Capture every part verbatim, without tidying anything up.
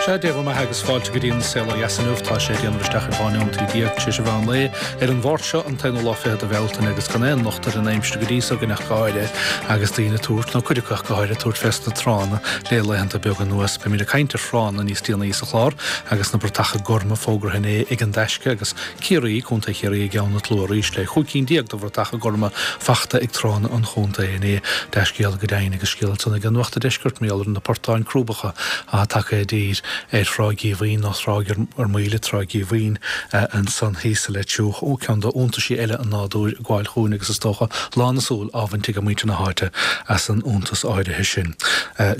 Sea, Dé bhur mbeatha agus fáilte go dtí an Saol Ó Dheas inniu. Tá sé ag déanamh isteach ar dhá neomat déag tar éis an mheán lae ar an Mháirt seo, an t-aonú lá fichead de Bhealtaine agus gan aon locht ar an aimsir go dtí so againn ach go háirithe agus daoine ag tabhairt, nó cuid acu ach go háirithe, ag tabhairt fés na tránna le laethanta beaga anuas. Beimid ag caint ar thránna níos déanaí sa chlár agus na bratacha gorma fógartha inné ag an Taisce agus Ciarraí, Contae Chiarraí i gceann an tslua arís le chúig cinn déag de bhratacha gorma fachta ag tránna an chontae inné. Dea-scéala go deimhin agus scéal ansan ag Nuacht an Deiscirt mar gheall ar na portáin crúbacha atá tagtha i dtír ar Thrá Dhíomhaoin nó Trá ar Maoile, Trá Dhíomhaoin ansan thíos sa Leitriúch, ó ceann d'iontaisí eile an nádúir ag gabháil chugainn agus is dócha lán na súl á bhaint ag muintir na háite as an iontas áirithe sin.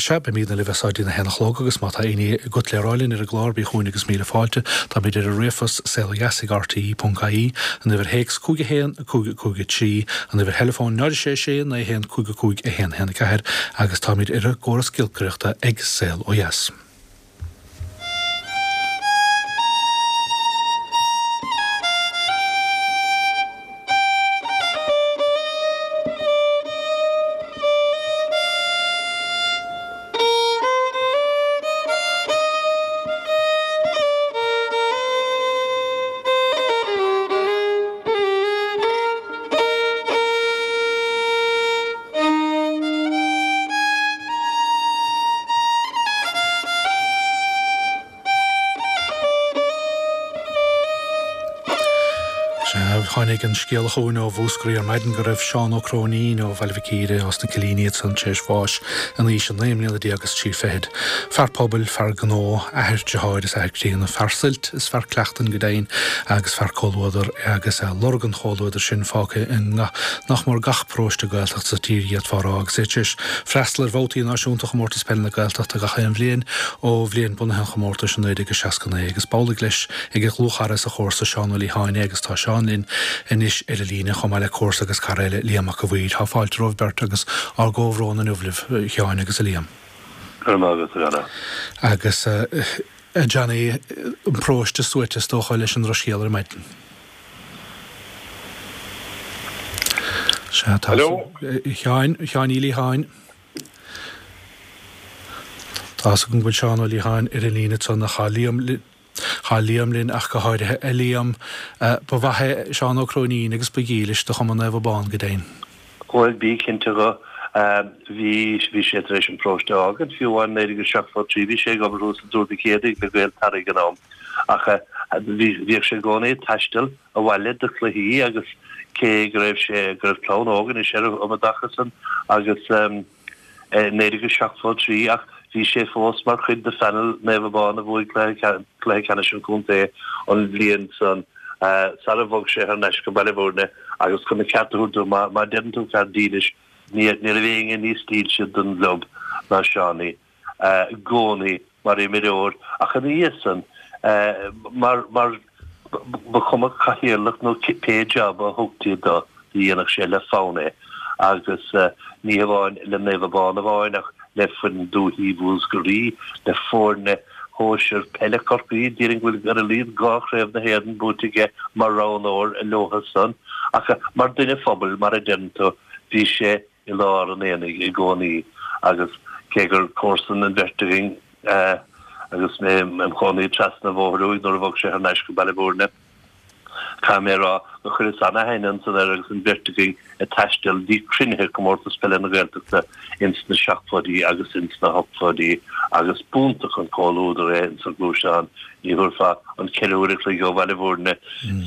Sea, beimidne libh as seo dtí a haon a chlog agus má tá éinní agat le rá linn ar an gclár bí chugainn agus míle fáilte. Táimid ar an ríomhphost saolodheas ag rte ponc ie, an uimhir théacs cúig a haon, cúig cúig a trí, an uimhir theileafóin náid a sé sé naoi a haon cúig a cúig a haon a haon a ceathair agus táimid ar an gcóras giolcaireachta ag Saol Ó Dheas. Sea, tháinig an scéala chugainn ó Mhúscraí ar maidin go raibh Seán Ó Cróinín ó Bhaile Mhic Íre, ós na Cillíní ansan, tar éis bháis in aois a naoi mbliana déag is trí fichid. Fear pobail, fear gnó, athair, deartháir is athair críonna, fear suilt is fear cleachtain go deimhin agus fear comhluadair agus lorg an chomhluadair sin fágtha i nach mór gach paróiste Gaeltachta sa tír d'fhéadfá a rá agus é tar éis freastal ar bhabhtaí náisiúnta Chomórtas Peile na Gaeltachta gach aon bhliain ó bhliain bunaithe an chomórtais i naoi déag seasca naoi agus b'amhlaidh leis ag a dhlúthchara is a chomharsa Seán Ó Liatháin é agus tá Seán linn anois ar an líne chomh maith le comharsa agus cara eile Liam Mac a' Mhaoir. Tá fáilte romhaibh beirt agus ár gcomhbhrón inniu libh, a Sheáin agus a Liam. Go raibh maith agat, a Dhara. Agus a Johnny, an paróiste suaite is dócha leis an drochscéal ar maidin. Sea, tá. Hello. A Sheáin, a Sheáin Uí Liatháin. Tá 'fhios agam go bhfuil Seán Ó Liatháin ar an líne ansan ach tá Liam, tá Liam linn ach go háirithe. A Liam, ba mhaith é Seán Ó Cróinín agus ba dhílis do Chumann Naomh Abán go deimhin. Bhuel, bí cinnte dho. Bhí, bhí sé tar éis an paróiste a fhágaint fiú amháin naoi déag seachtó trí, bhí sé ag obair thuas i dTuar Mhic Éadaigh le Gaeltarra ag an am ach bhí, bhíodh sé i gcónaí ag taisteal abhaile do chluichí agus cé go raibh sé, go raibh clann óg anois air um an dtaca san agus i naoi déag seachtó trí ach bhí sé fós mar chuid de phanel Naomh Abán a bhuaigh cluiche ceannais an chontae an bhliain san sara bhog sé thar n-ais go Baile Bhúirne agus chun an ceart a thabhairt dó má deireann tú fear dílis ní raibh éinne níos dílse don gclub ná Seánie i gcónaí mar imreoir ach ina dhiaidh san mar mar ba chuma cathaoirleach nó pé jab a thugtaí do do dhéanfadh sé le fonn é agus ní hamháin le Naomh Abán amháin ach le foireann Dúichí Mhúscraí, le foirne shóisir peile Chorcaí, déarfainn go bhfuil ar a laghad dhá chraobh na hÉireann buaite aige mar roghnóir leotha san ach mar duine phobail mar a deireann tú bhí sé i lár an aonaigh i gcónaí agus cé gur comharsan an bheirt againn agus mé im chónaí trasna an bhóthair uaidh nuair a bhog sé thar n-ais go Baile Bhúirne, caithfidh mé a rá gur chuireas an-aithne ansan air agus an bheirt againn ag taisteal dtí cruinnithe Comórtas Peile na Gaeltachta ins na seachtóidí agus ins na hochtóidí agus b'iontach an comhluadar é ins an ghluaisteán. Ní thabharfá an ceithre huaire a chloig ó Bhaile Bhúirne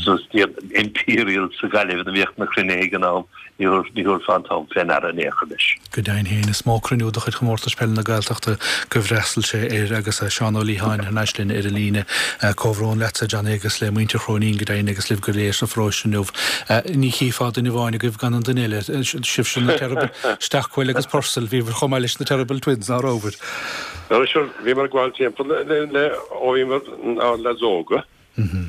suas dtí an Imperial sa Ghaillimh ina mbíodh na cruinnithe ag an am, ní thabharfá an t-am fé ndeara in aon chor leis. Go deimhin féin, is mó cruinniú de chuid Chomórtas Peile na Gaeltachta gur fhreastail sé air agus Seán Ó Liatháin thar n-ais linn ar an líne. Comhbhrón leatsa, Johnny, agus le muintir Chróinín go deimhin agus libh go léir sa pharóiste inniu. Ní chífeá duine amháin agaibh gan an duine eile, sibhse na Terrible Stockwell agus Purcell, bhíobhair chomh maith leis na Terrible Twins, ná rabhabhair? Bhuel, sure, bhíomar ag gabháil timpeall le ó bhíomar inár leaids óga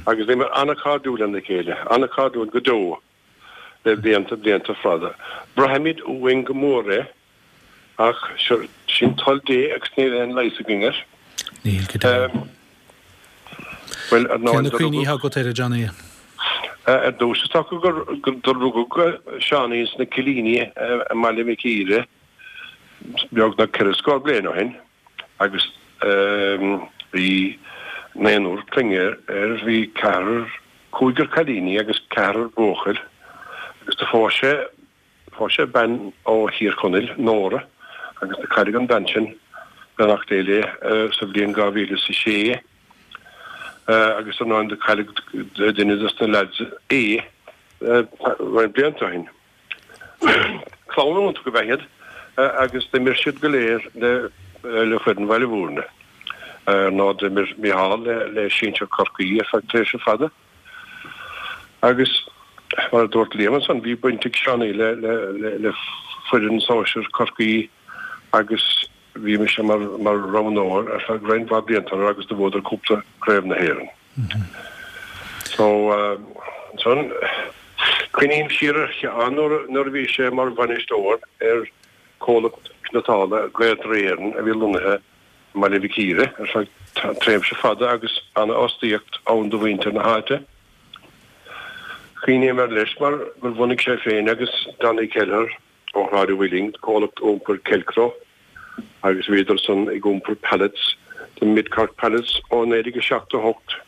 agus bhíomar an-chairdiúil lena chéile, an-chairdiúil go deo le blianta, blianta fada. Braithimid uainn go mór é ach sure, sin toil Dé agus níl aon leigheas againn air. Níl, go deimhin. Bhuel, ar Cé na ndóigh, do cuimhní rugadh. atá agat air, a Johnny? Ar dtús, is dócha gur do rugadh Seánie sna Cillíní i mBaile Mhic Íre beagnach ceithre scór bliain ó shin agus Bhí naonúr clainne air, bhí ceathrar, cúigear cailíní agus ceathrar buachaill agus do phós sé, phós sé bean ó Thír Chonaill, Nóra, agus do cailleadh an bhean sin, beannacht Dé léi, sa bhliain dhá mhíle is a sé agus ar ndóigh do cailleadh duine dos na leaids é roinnt blianta ó shin. Clann iontach ab ea iad agus d'imir siad go léir le le foireann Bhaile Bhúirne. Ar ndóigh d'imir Micheál le le sinsir Chorcaí ar feadh tréimhse fada. Agus mar a dúirt Liam ansan bhí baint ag Seánie le le le le foireann sóisir Chorcaí agus bhí mise mar mar roghnóir ar feadh roinnt mhaith blianta agus do bhuadar cúpla Craobh na hÉireann. So ansan cuimhním siar ar Sheán nuair nuair a bhí sé mar bhainisteoir ar comhlacht cniotála Gaeltarra Éireann a bhí lonnaithe i mBaile Mhic Íre ar feadh tréimhse fada agus an-fhostaíocht ann do mhuintir na háite. Cuimhním air leis mar gur bhunaigh sé féin agus Danny Kelleher ó Shráid an Mhuilinn comhlacht iompair Kelcro agus bhíodar san ag iompar pallets do Mid Cork Pallets ó naoi déag a seachtó a hocht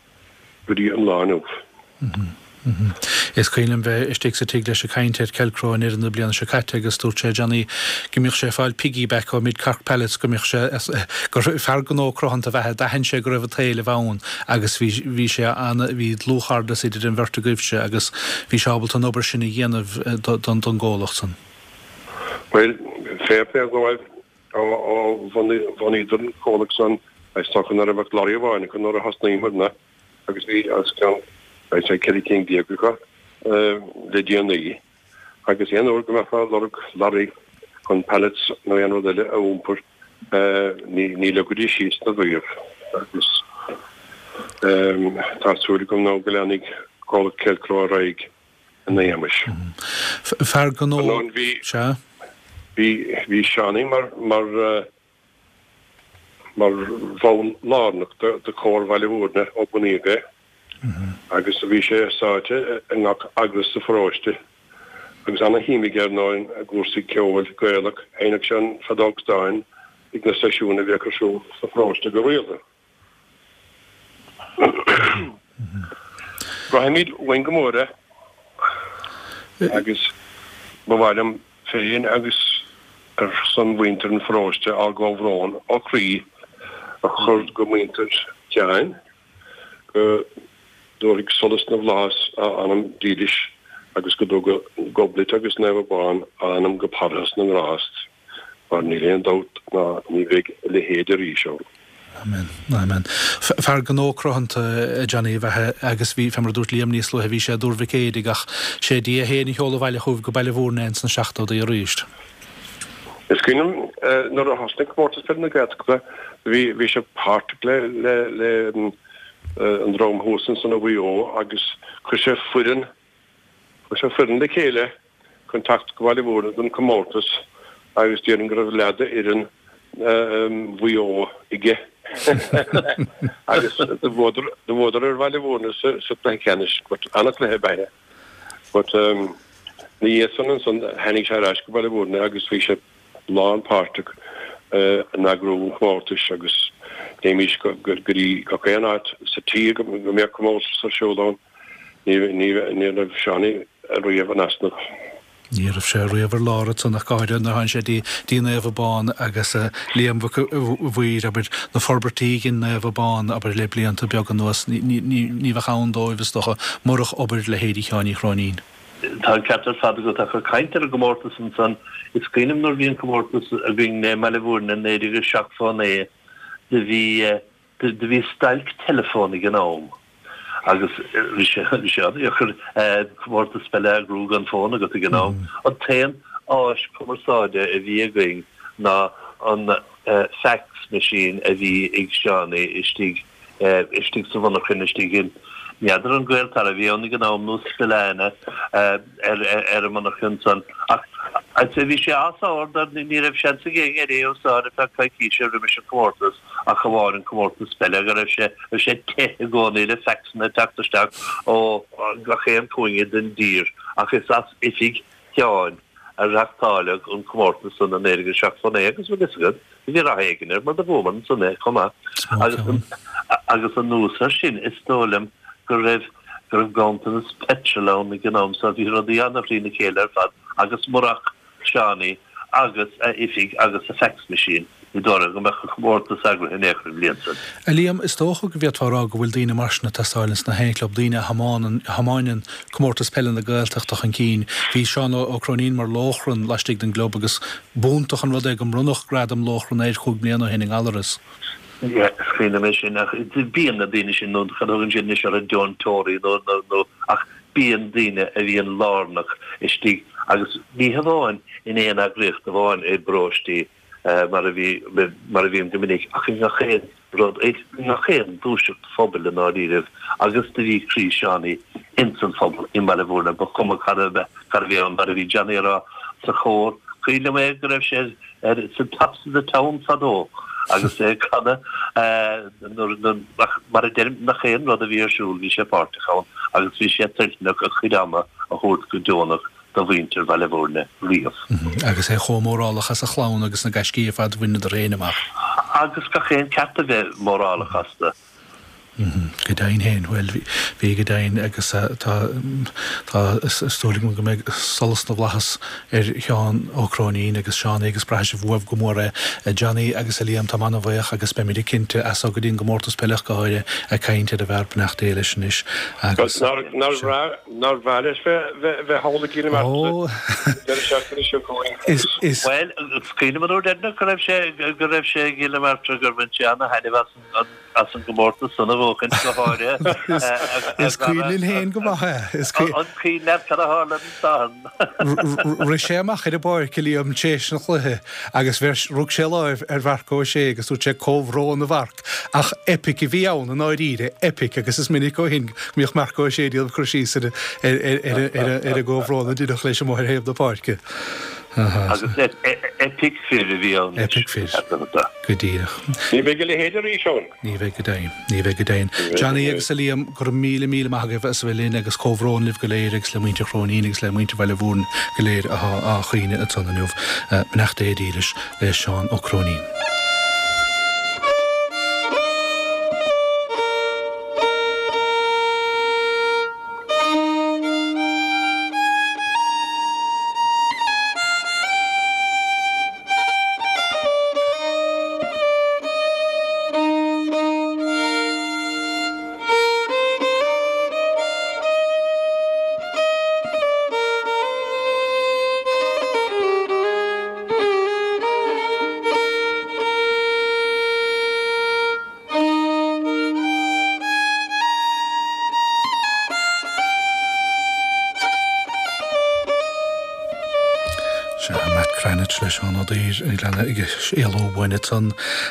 go dtí an lá inniu. Is cuimhin liom bheith istigh sa tigh leis ag caint ar Kelcro in ndeireadh na bliana seo caite agus dúirt sé, Johnny, go mbíodh sé ag fáil piggyback ó Mid Cork Pallets, go mbíodh sé, gur fear gnó cruthanta ab ea é, d'aithin sé go raibh an t-éileamh ann agus bhí, bhí sé an, bhí dlúthchairdeas idir an bheirt agaibhse agus bhí sé ábalta an obair sin a dhéanamh don, don gcomhlacht san. Bhuel, fair play dóibh ó, ó bhunaigh, bhunaíodar an comhlacht san, is dócha nach raibh ach lorry amháin acu nuair a thosnaíomarna agus bhí os cionn I'd say ceithre cinn déag acu le déanaí agus aon uair go mbeifeá ag lorg lorry chun pallets nó aon rud eile a iompar ní ní leagfaidís síos na riamh agus tá súil agam nó go leanfaidh comhlacht Kelcro ar aghaidh ina éagmais. Fear gnó, sea. Bhí bhí Seánie mar mar mar bhall lárnach de Chomhar Bhaile Bhúirne ó bunaíodh é agus bhí sé sáite i ngach eagras sa pharóiste agus ana-shuim aige ar ndóigh i gcúrsaí ceoil Gaelach. Sheinneadh sé an feadóg stáin ag na seisiúin a bhíodh ar siúl sa pharóiste go rialta. Braithimid uainn go mór é agus ba mhaith liom féin agus ar son mhuintir an pharóiste ár gcomhbhrón ó chroí a chur go muintir Sheáin, go dtabharfaidh solas na bhflaitheas a anam dílis agus go dtuga Gobnait agus Naomh Abán a anam go Parthas na nGrást, mar níl aon dabht ná ní bheidh a leithéid arís ann. Amen. Amen. Fear gnó cruthanta, a Johnny, ab ea é agus bhí, fé mar a dúirt Liam níos luaithe, bhí sé i dTuar Mhic Éadaigh ach sé Dia féin a sheol abhaile chugaibh go Baile Bhúirne é ins na seachtóidí arís. Is cuimhin liom nuair a thosnaigh Comórtas Peile na Gaeltachta bhí bhí sé páirteach le le le an dream thuas ansan i Mhaigh Eo agus chuir sé foireann chuir sé foireann le chéile chun teacht go Baile Bhúirne don chomórtas agus déarfainn go raibh leath d'fhoireann Mhaigh Eo aige agus do bhuadar do bhuadar ar Bhaile Bhúirne sa sa chluiche ceannais but an-chluiche ab ea é but ina dhiaidh san ansan tháinig sé ar ais go Baile Bhúirne agus bhí sé lánpháirteach in eagrú an chomórtais agus théimís go dtí gach aon áit sa tír go mbeadh comórtas ar siúl ann. Ní raibh Seánie riamh in easnamh. Ní raibh sé riamh ar lár ansan ach go háirithe nuair a tháinig sé dtí Naomh Abán agus Liam Mhic Mhaoir, abair, na forbairtí a dhein Naomh Abán, abair, le blianta beaga anuas, ní bheadh ann dóibh, is dócha, murach obair leithéidí Sheáin Uí Chróinín. Tá an ceart ar fad agat ach ag caint ar an gcomórtas ansan, is cuimhin liom nuair a bhí an comórtas againn i mBaile Bhúirne i naoi déag a seachtó a naoi, do bhí do bhí stailc teileafóin ag an am agus bhí sé bhí sé an-deacair comórtas peile a eagrú gan fón agat ag an am. An t-aon áis cumarsáide a bhí againn ná an fax machine a bhí ag Seánie istigh istigh sa mhonarchain, istigh in, n'fheadar an Gaeltarra a bhí ann ag an am nó Spillane ar an monarchain san. Ach I'd say bhí sé as ord ar ní raibh seans ag éinne é a úsáid ar feadh coicíse roimis an comórtas ach amháin an comórtas peile go raibh sé raibh sé te i gcónaí le faxanna ag teacht isteach ó gach aon chúinne den dtír ach is as oifig Sheáin a reachtáileadh an comórtas san i naoi déag seachtó naoi agus bhfuil fhios agat, bhí rath éigin air mar do bhuamar ansan é chomh maith. Agus Agus anuas air sin, is dóigh liom go raibh go raibh ganntanas peitril ann ag an am so bhí rudaí an-thrína chéile ar fad agus murach Seánie agus a oifig agus a fax machine, ní dóigh liom go mbeadh an comórtas eagraithe in aon chor an bhliain san. A Liam, is dócha go bhféadfá a rá go bhfuil daoine mar sin ag teastáil ins na haon chlub, daoine a thiomáineann a thiomáineann comórtas peile na Gaeltachta chun cinn. Bhí Seán Ó Cróinín mar lóchrann laistigh den gclub agus b'iontach an rud é go mbronnadh gradam lóchrann air chúig bliana ó shin i nGallaras. Yeah, is cuimhin liom é sin ach bíonn na daoine sin nó cad a thugann siad anois orthu deontóirí nó nó nó ach bíonn daoine a bhíonn lárnach istigh agus ní hamháin in aon eagraíocht amháin i bparóistí mar a bhí mar a bhíonn go minic ach i ngach aon rud i ngach aon ghluaiseacht phobail i ndáiríribh agus do bhí croí Seánie ins an phobal i mBaile Bhúirne ba chuma cad a cad a bhí ann mar a bhí Johnny a rá sa chór cuimhin liom é go raibh sé ar sa Tops of the Town fadó agus é ag canadh nuair nuair ach mar a deirim nach aon rud a bhí ar siúl bhí sé páirteach ann agus bhí sé toilteanach a chuid ama a thabhairt go deonach do mhuintir Bhaile Bhúirne riamh. Agus é chomh mórálach as a chlann agus na gaiscí ar fad a bhaineadar féin amach. Agus gach aon ceart a bheith mórálach astu. Go deimhin féin, bhuel, bhí go deimhin agus tá, tá, is dóigh liom go mbeidh solas na bhflaitheas ar Sheán Ó Cróinín agus Seánie agus braithfidh sibh uaibh go mór é. A Johnny agus a Liam, táim an-bhuíoch agus beimid cinnte, as seo go dtí an gcomórtas peile ach go háirithe, ag caint ar an bhfear, beannacht Dé leis anois agus. Nár bhreá, nár bhreá leis bheith bheith thall i gCill na Martra an deireadh seachtaine seo chugainn Is, is. Bhuel, is cuimhin liom an uair dheireanach go raibh sé, go raibh sé i gCill na Martra gur bhain sé ana-thaitneamh as an, as an gcomórtas san a bhuachaint go háirithe. Is cuimhin linn féin go maith é. Is cuimhin. An cuimhin leat cad a tharla an Satharn? Rith sé amach ar an bpáirc, a Liam, tar éis an chluiche agus bheir, rug sé láimh ar Mharc Ó Sé agus dúirt sé comhbhrón a Mharc. Ach eipic a bhí ann i ndáiríre, eipic agus is minic ó shin go mbíodh Marc Ó Sé ag déanamh cur síos ar ar an gcomhbhrón a deineadh leis amuigh ar thaobh na páirce. Agus eipic fir a bhí ann. Eipic fir. Go díreach. Ní bheidh a leithéid arís ann. Ní bheidh go deimhin. Ní bheidh go deimhin. Johnny agus a Liam, go raibh míle míle maith agaibh as a bheith linn agus comhbhrón libh go léir agus le muintir Chróinín agus le muintir Bhaile Bhúirne go léir atá á chaoineadh ansan inniu. Beannacht Dé dílis le Seán Ó Cróinín. Sea, Matt Cranitch le Seán Ó Duibhir ag leanadh ag éalú uainn ansan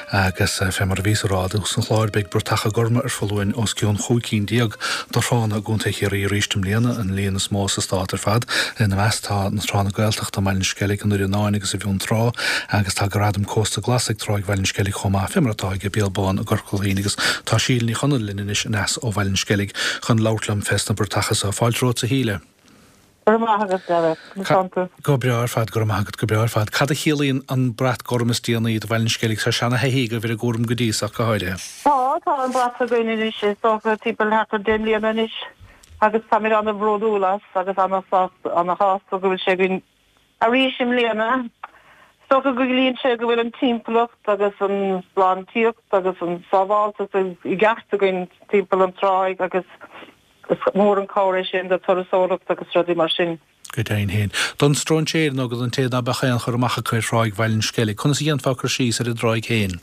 agus fé mar a bhíos a rá i dtús an chláir, beidh bratacha gorma ar foluain os cionn chúig cinn déag de thránna i gContae Chiarraí arís i mbliana, an líon is mó sa stát ar fad. Ina measc tá na tránna Gaeltachta i mBaile an Sceilg, i nDoire Fhíonáin agus i bhFionntrá agus tá Gradam Cósta Glas ag Tráigh Bhaile an Sceilg chomh maith, fé mar atá ag Béal Bán i gCorca Dhuibhne agus tá Síle Ní Chonaill linn anois aneas ó Bhaile an Sceilg chun labhairt liom fés na bratacha so. Fáilte romhat a Shíle. Go raibh maith agat, Darragh. Conas tánn tú? Go breá ar fad, go raibh maith agat, go breá ar fad. Cad a chiallaíonn an brat gorm is déanaí do Bhaile an Sceilg? Tá seana-thaithí agaibh ar an gcúram go dtí so ach go háirithe. Tá, tá an brat againn anois, is dócha, timpeall thart ar deich mbliana anois agus táimid ana-bhródúil as agus ana-shásta, ana-shásta go bhfuil sé againn arís i mbliana. Is dócha go gciallaíonn sé go bhfuil an timpeallacht agus an sláintíocht agus an sábháilteacht i gceart againn timpeall an tráigh agus Is mór an cabhair é sin do turasóireacht agus rudaí mar sin. Go deimhin féin. Don stróinséir nó don té ná beadh aon chur amach acu ar thráigh Bhaile an Sceilg, conas a dhéanfá cur síos ar an dtráigh féin?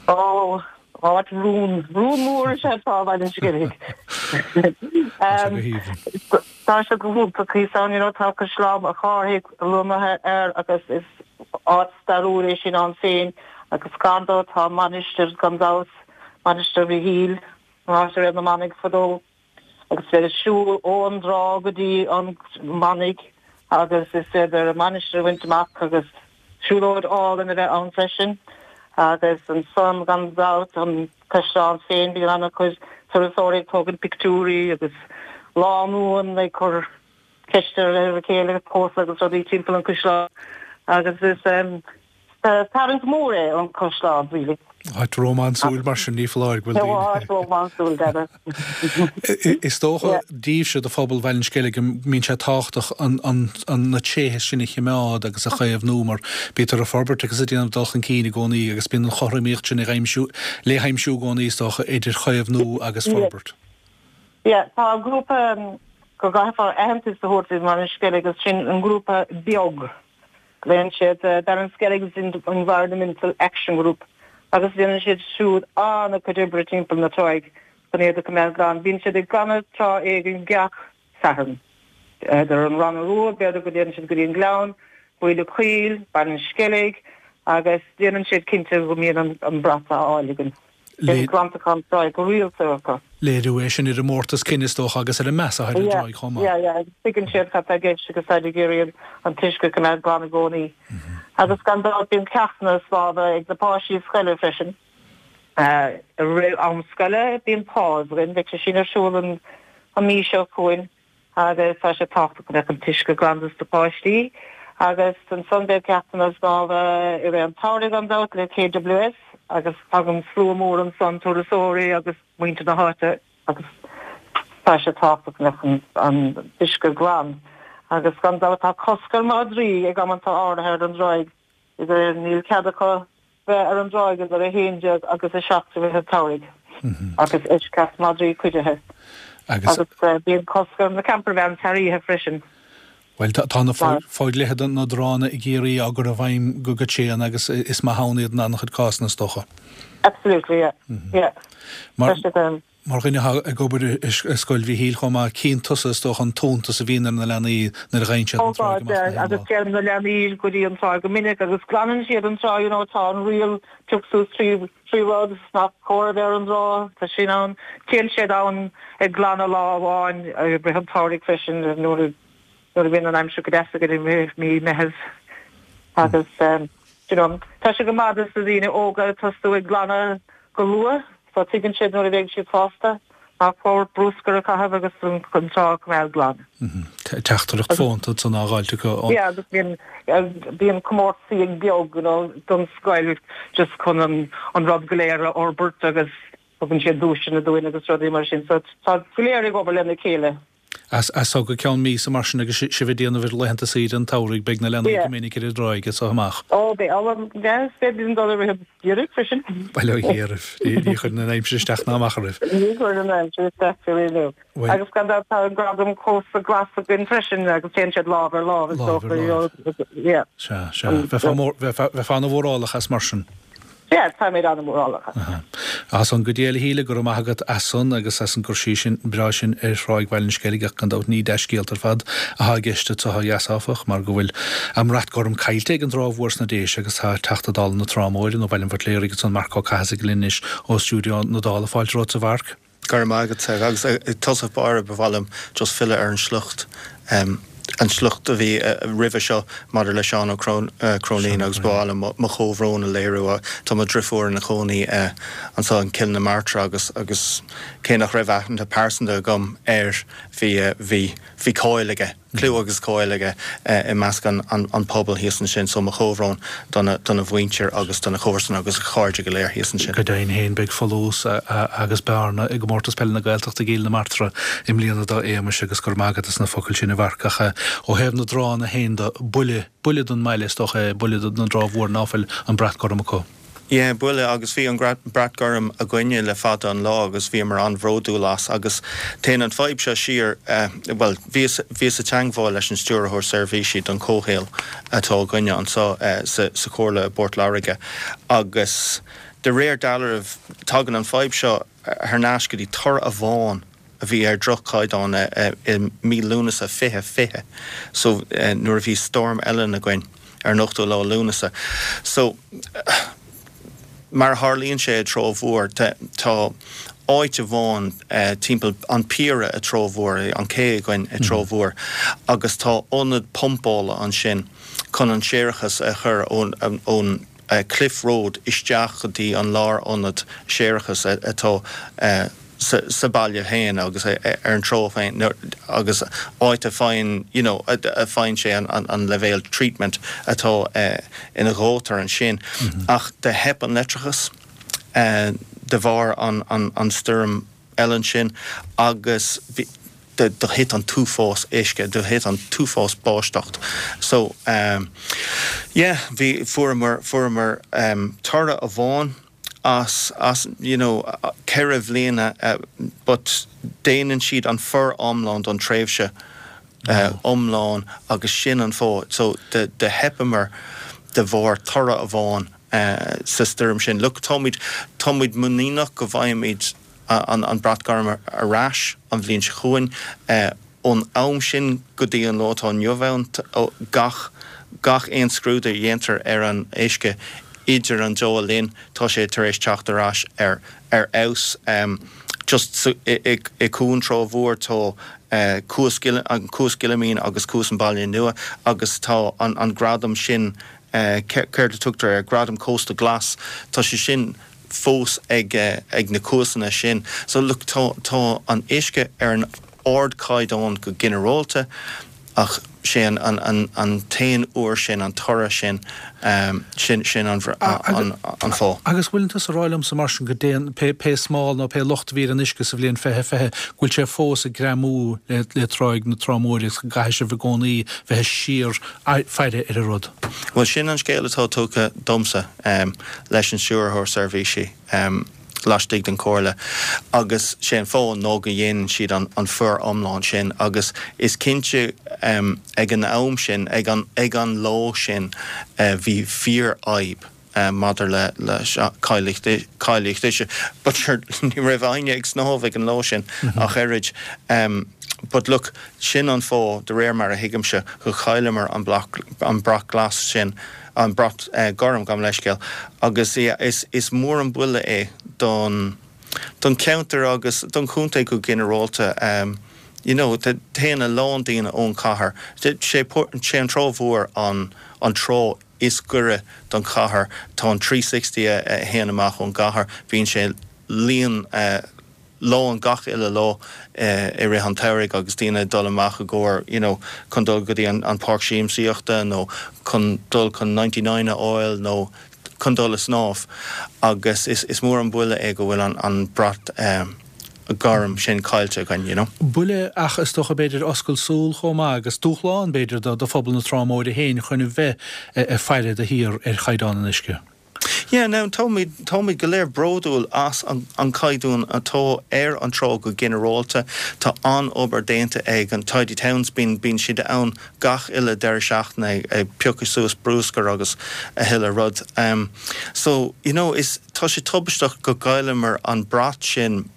Ó, áit rún, rún mór is ea trá Bhaile an Sceilg. Tá sé go haoibhinn. Tá sé go hiontach thíos ann, you know, tá Caisleán an Chárthaigh lonnaithe air agus is áit stairiúil é sin ann féin agus gar dó tá mainistir gan dabht, Mainistir Mhichíl. An áit a raibh na manaigh fadó agus is féidir siúl ón dtrá go dtí an manaigh agus is féidir an mainistir a bhaint amach agus siúlóid álainn a bheith ann freisin agus ansan gan dabht an caisleán féin bíonn ana-chuid turasóirí ag tógaint pictiúirí agus lánúin ag cur ceisteanna ar a chéile ag pósadh agus rudaí timpeall an chaisleáin agus is tarraingt mór é an caisleán really. Áit rómánsúil mar sin ní foláir go bhfuil daoine. Áit rómánsúil, deimhin. Is dócha daoibhse do phobal Bhaile an Sceilg go mbíonn sé tábhachtach na tréithe sin a choimeád agus a chaomhnú mar bítear ag forbairt agus ag déanamh dul chun cinn i gcónaí agus bíonn an chothromaíocht sin ag aimsiú, le haimsiú i gcónaí is dócha idir chaomhnú agus forbairt. Yeah, tá grúpa go gcaithfear aitheantas a thabhairt i mBaile an Sceilg agus sin an grúpa beag. Glaonn siad Ballinskelligs Environmental Action Group agus déanann siad siúd an-chuid oibre timpeall na tráigh chun iad a choimeád glan. Bíonn siad ag glanadh trá éigin gach Satharn. Idir an Ronna Rua, b'fhéidir go dtéann siad go dtí an Gleann, Baile Caol, Baile an Sceilg agus déanann siad cinnte go mbíonn an brat á fháil againn. Bíonn glantachán tráigh go rialta acu. Léiriú é sin ar an mórtas cine is dócha agus ar an meas atá ar an dtráigh chomh maith. Yeah, yeah, tuigeann siad cad tá i gceist agus táid ag iarraidh an t-uisce a choimeád glan i gcónaí. Agus gan dabht bíonn ceachtanna snámha ag na páistí scoile freisin. I rith am scoile bíonn PAWS againn, beidh sé sin ar siúl an mhí seo chugainn. agus tá sé tábhachtach go mbeadh an t-uisce glan dos na páistí agus ansan beidh ceachtanna snámha i rith an tsamhraidh gan dabht le KWS agus tagann slua mór ansan turasóirí agus muintir na háite agus tá sé tábhachtach go mbeadh an t-uisce glan agus gan dabht tá cosc ar mhadraí ag amanta áirithe ar an dtráigh idir níl cead acu bheith ar an dtráigh idir a haon déag agus a seacht i rith an tsamhraidh agus eisceacht madraí cuidithe. Agus bíonn cosc ar na campervans thar oíche freisin. Bhuel, tá na fodhlíthe na dtránna i gCiarraí á gcur i bhfeidhm go tréan agus is maith ann iad in an-chuid cásanna is dócha. Absolutely, yeah. Yeah. Mar mar dhuine atá ag obair i Scoil Mhichíl chomh maith, cíonn tusa is dócha an t-iontas a bhíonn ar na leanaí nuair a gheibheann siad an tráigh amach na haon lá. Agus téann na leanaí go dtí an tráigh go minic agus glanann siad an trá, you know, tá an riail pioc suas trí Trí rud nach cóir a bheith ar an dtrá, tá sin ann. Téann siad ann ag glanadh lá amháin i rith an tsamhraidh freisin nuair a nuair a bhíonn an aimsir go deas againn i mí Meitheamh. Agus you know, tá sé go maith dos na daoine óga tosú ag glanadh go luath so tuigeann siad nuair a bheidh siad fásta nach cóir bruscar a chaitheamh agus an trá a choimeád glan. Teachtaireacht fónta ansan á dh'fháilt acu ón. Yeah, agus bíonn bíonn comórtasaí ag beag you know don scoil just chun an an rud go léir a fhorbairt agus tugann siad duaiseanna dúinn agus rudaí mar sin so tá go léir ag obair lena chéile. As so go ceann míosa mar sin agus sibh ag déanamh ar laethanta saoire an tsamhraidh, beidh na leanaí go minic ar an dtráigh as so amach. Ó beidh, ó yes, beidh bíonn dul i rith an gheimhridh freisin. Bail ó Dhia oraibh, ní chuireann an aimsir isteach ná amach oraibh. Ní chuireann an aimsir isteach go raibh. Agus gan dabht tá an gradam Cósta Glas againn freisin agus téann siad lámh ar lámh is Lámh ar dócha, lámh. yeah. Sea, sea. Bheifeá ana-mhórálach as mar sin. Yeah, táimid an-mhórálach as. As san go dtí a chéile, go raibh maith agat as san agus as an gcur síos sin breá sin ar Thráigh Bhaile an Sceilg ach gan dabht ní dea-scéalta ar fad atá i gceist anseo ó dheas áfach mar go bhfuil a mbrat gorm caillte ag an dTrá Mhór sna Déise agus tá Teachta Dála na Trá Móire nó Bhaile an Bhuitléaraigh ansan Marc Ó Cathasaigh linn anois ó stiúideo na Dála. Fáilte romhat a Mhairc. Go raibh maith agat. Agus i dtosach báire ba mhaith liom just filleadh ar an sliocht, an sliocht a bhí roimhe seo maidir le Seán Ó Cróinín agus ba mhaith liom mo chomhbhrón a léiriú. Tá mo dhrifiúr ina cónaí anseo in Cill na Martra agus agus cé nach raibh aithne pearsanta agam air bhí bhí bhí cáil aige. Clú agus cáil aige i measc an pobail thíos ansin, so mo chomhbhrón dona mhuintir agus dona chomharsana agus a chairde go léir thíos ansin. Go deimhin féin beidh folús agus bearna i gComórtas Peile na Gaeltachta i gCill na Martra i mbliana dá éagmais agus go raibh maith agat as na focail sin a Mhairc. Ach ó thaobh na dtránna féin de, buille, buille don mbaile is dócha é, buille don dTrá Mhór ná fuil an brat gorm acu. Yeah, buille agus bhí an brat gorm againne le fada an lá agus bhíomar an-bhródúil as agus téann an fadhb seo siar, bhuel, bhíos, bhíos i dteangmháil leis an Stiúrthóir Seirbhísí don Chomhshaol atá againne anseo sa, sa Chomhairle i bPort Láirge agus de réir dealraimh tagann an fadhb seo thar n-ais go dtí toradh amháin a bhí ar droch-chaighdeán i mí Lúnasa fiche fiche so nuair a bhí Storm Ellen againn ar an ochtú lá Lúnasa. So mar a tharlaíonn sé i dTrá Mhór tá áit amháin timpeall an piara i dTrá Mhór, an cé againn i dTrá Mhór agus tá ionad pumpála ansin chun an séarachas a chur ón ón Cliff Road isteach go dtí an lárionad séarachais atá sa baile féin agus ar an trá féin agus áit a faigheann you know a faigheann sé an leibhéal treatment atá ina dhótar ansin. Ach do theip an leictreachas de bharr an an an stoirm Ellen sin agus bhí do do thit an t-uafás uisce, do thit an t-uafás báisteacht. So um, yeah, bhí fuaireamar fuaireamar um, toradh amháin as as you know ceithre bhliana uh, but déanann siad an foriomlán don tréimhse uh, iomlán agus sin an fáth so de de theipeamar de bharr toradh amháin uh, sa stoirm sin. Look táimid táimid muiníneach go bhfaighimid an, an brat gorm ar ais an bhliain seo chugainn uh, ón am sin go dtí an lá atá inniu ann gach gach aon scrúdú a dhéantar ar an uisce idir an dá linn tá sé tar éis teacht ar ais ar ar fheabhas um, just so, i, i, i cuan Trá Mhór tá uh, Cuas an Cuas Gillimín agus Cuas an Baile Nua agus tá an, an gradam sin uh, céard a tugtar ar gradam Cósta Glas tá sé sin fós ag uh, ag na cuasanna sin. So look tá, tá an uisce ar an ardchaighdeán go ginearálta ach sé an, an, an, an t-aon uair sin an toradh sin um, sin sin an, an, an fáth. Agus bhfuil tú ag rá liomsa mar sin go dtéann pé, pé smál nó pé locht a bhí ar an uisce sa bhliain fiche fiche go bhfuil sé fós ag greamú le, le tráigh na Trá Móire agus go gcaithfidh sibh i gcónaí bheith síor faire ar an rud. Well sin an scéal atá tugtha domsa um, leis an stiúrthóir seirbhísí. Um, laistigh den chomhairle agus sé an fáth ná go dhéanann siad an, an foriomlán sin agus is cinnte um, ag an am sin ag an, ag an lá sin uh, bhí fíorfhadhb uh, maidir le le cáilíocht uisce. But sure ní raibh éinne ag snámh ag an lá sin mm -hmm. ach oiread. Um, but look sin an fáth de réir mar a thuigimse go chailleamar an, an brat glas sin an brat uh, gorm gabh mo leithscéal agus yeah, is, is mór an buille é don don ceantar agus don chontae go ginearálta um, you know, téann a lán daoine ón chathair sé sé an Trá Mhór an an trá is gaire don chathair tá an trí sixty a théann amach ón gcathair bíonn sé líon uh, lán gach uile lá uh, i rith an tsamhraidh agus daoine dul amach i gcomhair you know, chun dul go dtí an, an páirc siamsaíochta nó chun dul chun ninety nine a fháil nó chun dul ag snámh agus is, is mór an buille é go bhfuil an, an brat um, gorm sin caillte againn, you know. Buille ach is dócha b'fhéidir oscailt súl chomh maith agus dúshlán b'fhéidir do, do phobal na Trá Móire féin chun a bheith ag faire de shíor ar chaighdeán an uisce. Yeah, now táimid táimid go léir bródúil as an, an caighdeán atá ar an trá go ginearálta tá an-obair déanta ag an Tidy Towns bíonn bíonn siad ann gach uile deireadh seachtaine ag piocadh suas bruscar agus a thuilleadh rud. Um, so you know, is tá sé tubaisteach go gcailleamar an brat sin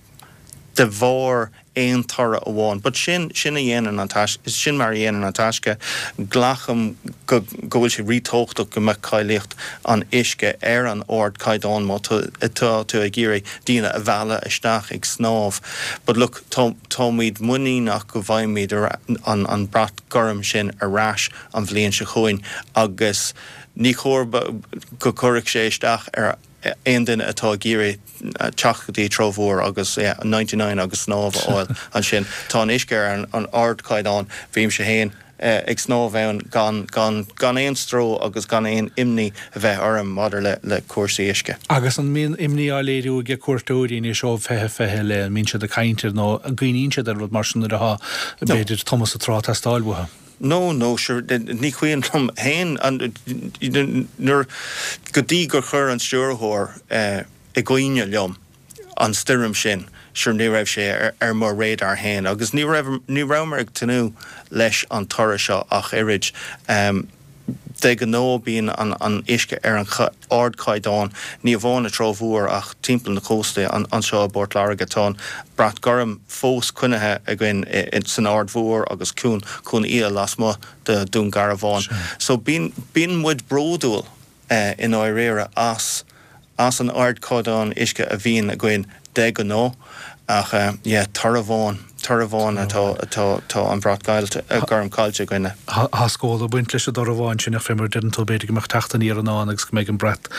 de bharr aon toradh amháin. But sin sin a dhéanann an tais sin mar a dhéanann an taisce glacaim go go bhfuil sé ríthábhachtach go mbeadh cáilíocht an uisce ar an ardchaighdeán má tá tú ag iarraidh daoine a mhealladh isteach ag snámh. But look tá táimid muiníneach go bhfaighimid an an brat gorm sin ar ais an bhliain seo chugainn agus ní chóir go gcuirfeadh sé isteach ar aon duine atá ag iarraidh teacht go dtí Trá Mhór agus yeah, ninety nine agus snámh a fháil ansin. Tá an uisce ar an, an ardchaighdeán, bímse féin eh, ag snámh ann gan, gan, gan aon stró agus gan aon imní a bheith orm maidir le, le cúrsaí uisce. Agus an mbíonn imní á léiriú ag cuairteoirí anois ó fiche fiche le, an mbíonn siad ag caint air nó an gcuimhníonn siad ar rud mar sin nuair atá b'fhéidir tomhas sa trá ag teastáil uathu? No, no, sure, ní cuimhin liom féin nuair go dtí gur chuir an stiúrthóir i gcuimhne liom an stoirm sin, sure ní raibh sé ar, ar mo radar féin agus ní raibh, ní rabhamar ag tnúth leis an toradh seo ach oiread. Um, de ghnáth bíonn an, an uisce ar an ardchaighdeán, ní amháin i dTrá Mhór ach timpeall na cósta anseo i bPort Láirge. Tá an brat gorm fós coinnithe againn san Aird Mhór agus Cuan, Cuan Fhia lasmuigh de Dún Garbhán. So bíonn, bíonn muid bródúil i ndáiríre as, as an ardchaighdeán uisce a bhíonn againn de ghnáth ach yeah, toradh amháin, toradh amháin atá, atá, tá an brat gorm caillte againne. Tá scór ag baint leis an dtoradh amháin sin ach fé mar a deireann tú b'fhéidir go mbeadh teacht aniar i ndán agus go mbeidh an brat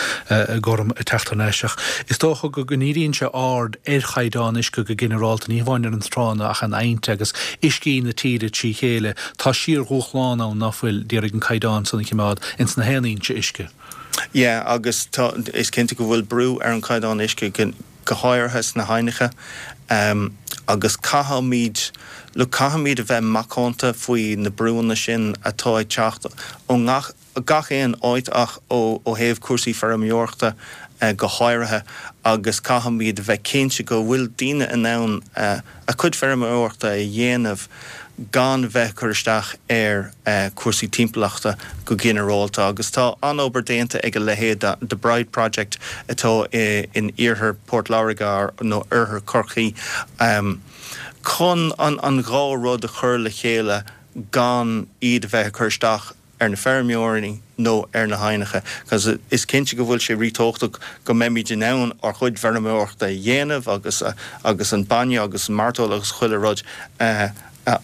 gorm ag teacht thar n-ais ach is dócha go ndíríonn sé aird ar chaighdeán uisce go ginearálta, ní hamháin ar an tránna ach an aibhneacha agus uiscí na tíre trí chéile. Tá síordhúshlán ann ná fuil d'iarraidh an caighdeán san a choimeád ins na haon fhoinse uisce. Yeah, agus tá, is cinnte go bhfuil brú ar an caighdeán uisce go, go háirithe sna haibhneacha um, agus caithfimid, look, caithfimid a bheith macánta faoi na brúnna sin atá ag teacht ó ngach, gach aon áit ach ó, ó thaobh cúrsaí feirmeoireachta go háirithe agus caithfimid a bheith cinnte go bhfuil daoine in ann a cuid feirmeoireachta a dhéanamh gan bheith ag cur isteach ar chúrsaí timpeallachta go ginearálta agus tá an-obair déanta ag a leithéid de The Bride Project atá in iarthar Port Láirge nó oirthear Chorcaí chun an dhá rud a chur le chéile gan iad a bheith ag cur isteach ar na feirmeoirí nó ar na haibhneacha, cos is cinnte go bhfuil sé ríthábhachtach go mbeimid in ann ár gcuid feirmeoireachta a dhéanamh agus agus an bainne agus an mairteoil agus chuile rud a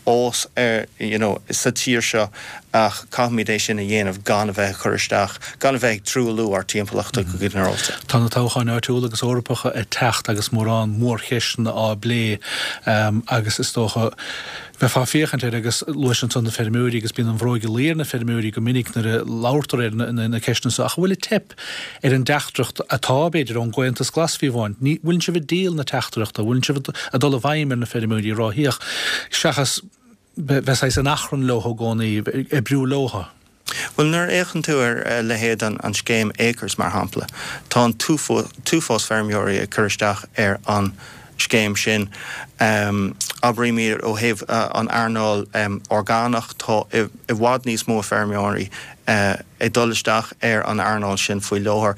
fhás ar you know sa tír seo ach caithfimid é sin a dhéanamh gan a bheith ag cur isteach, gan a bheith ag truailliú ár dtimpeallachta go ginearálta. Tá na toghcháin áitiúla agus Eorpacha ag teacht agus mórán mórcheisteanna á bplé agus is dócha bheifeá ag féachaint air agus luais ansan na feirmeoirí agus bíonn an bhróig ag luí ar na feirmeoirí go minic nuair a labhartar ar na ceisteanna seo ach an bhfuil ag teip ar an dteachtaireacht atá, b'fhéidir, ón gComhaontas Glas fiú amháin. Ní, bhfuileann sibh ag díol na teachtaireachta, bhfuileann sibh ag dul i bhfeidhm ar na feirmeoirí ag ráthaíocht seachas bheith saghas in achrann leo i gcónaí, ag oibriú leo. Bhuel, nuair a fhéachann tú ar a leithéid an scéim Acres, mar shampla, tá an t-uafás feirmeoirí ag cur isteach ar an scéim sin. Abraímid ó thaobh an earnáil orgánach, tá i bhfad níos mó feirmeoirí ag dul isteach ar an earnáil sin faoi láthair.